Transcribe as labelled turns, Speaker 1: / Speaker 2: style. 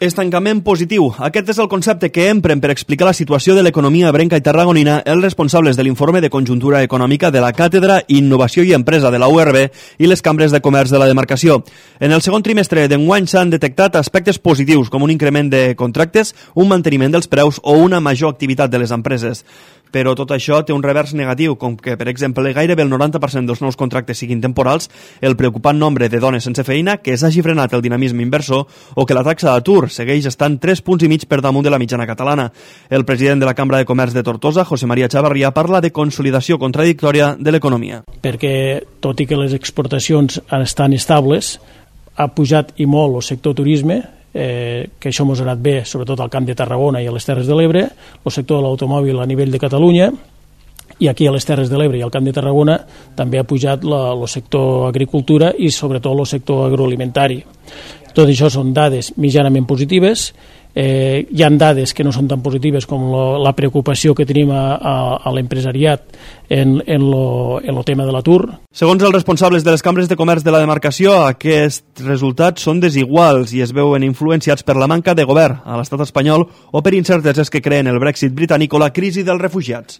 Speaker 1: Estancament positiu. Aquest és el concepte que empren per explicar la situació de l'economia ebrenca i tarragonina els responsables de l'informe de conjuntura econòmica de la Càtedra Innovació i Empresa de la URB i les cambres de comerç de la demarcació. En el segon trimestre d'enguany s'han detectat aspectes positius com un increment de contractes, un manteniment dels preus o una major activitat de les empreses. Però tot això té un revers negatiu, com que, per exemple, gairebé el 90% dels nous contractes siguin temporals, el preocupant nombre de dones sense feina, que s'hagi frenat el dinamisme inversor o que la taxa d'atur segueix estant 3,5 punts per damunt de la mitjana catalana. El president de la Cambra de Comerç de Tortosa, José María Chavarría, parla de consolidació contradictòria de l'economia.
Speaker 2: Perquè, tot i que les exportacions estan estables, ha pujat i molt el sector turisme, que això ens ha anat bé, sobretot al Camp de Tarragona i a les Terres de l'Ebre, el sector de l'automòbil a nivell de Catalunya, i aquí a les Terres de l'Ebre i al Camp de Tarragona també ha pujat el sector agricultura i sobretot el sector agroalimentari. Tot això són dades mitjanament positives. Hi ha dades que no són tan positives com la preocupació que tenim a l'empresariat en el tema de l'atur.
Speaker 1: Segons els responsables de les cambres de comerç de la demarcació, aquests resultats són desiguals i es veuen influenciats per la manca de govern a l'estat espanyol o per incerteses que creen el Brexit britànic o la crisi dels refugiats.